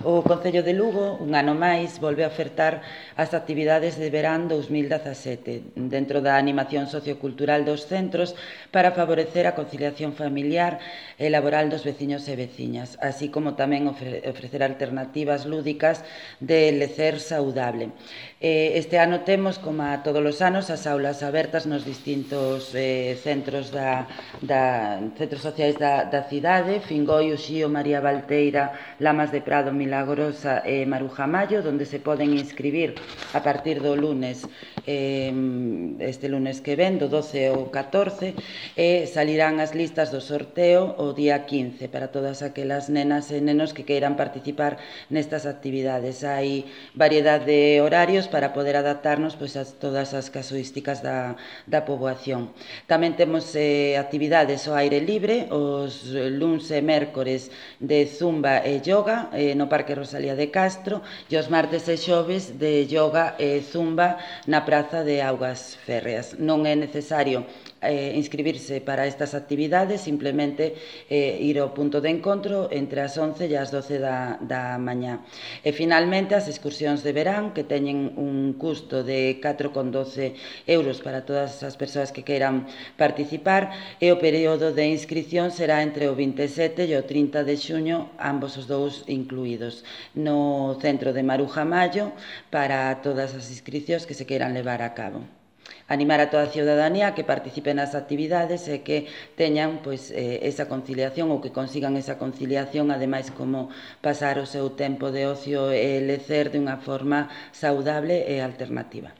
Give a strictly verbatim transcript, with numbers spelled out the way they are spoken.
O Concello de Lugo, un ano máis, volve a ofertar as actividades de verán dous mil dezasete dentro da animación sociocultural dos centros para favorecer a conciliación familiar e laboral dos veciños e veciñas, así como tamén ofrecer alternativas lúdicas de lecer saudable. Este ano temos, como a todos os anos, as aulas abertas nos distintos eh, centros da, da centros sociais da, da cidade, Fingoi, Uxío, María Valteira, Lamas de Prado, Milagrosa e Maruja Mayo, donde se poden inscribir a partir do lunes, eh, este lunes que ven, do doce ao catorce, e salirán as listas do sorteo o día quince para todas aquelas nenas e nenos que queiran participar nestas actividades. Hai variedade de horarios para poder adaptarnos pois, a todas as casuísticas da, da poboación. Tamén temos eh, actividades ao aire libre, os luns e mércores de zumba e yoga eh, no Parque Rosalía de Castro e os martes e xoves de yoga e zumba na Praza de Augas Férreas. Non é necesario Eh, inscribirse para estas actividades, simplemente eh, ir ao punto de encontro entre as once e as doce da, da mañá. E finalmente as excursións de verán, que teñen un custo de catro con doce euros para todas as persoas que queiran participar, e o período de inscripción será entre o vinte e sete e o trinta de xuño, ambos os dous incluídos, no centro de Maruja Mayo, para todas as inscripcións que se queiran levar a cabo. Animar a toda a ciudadanía a que participe nas actividades e que teñan pois, eh, esa conciliación ou que consigan esa conciliación, ademais como pasar o seu tempo de ocio e lecer de unha forma saudable e alternativa.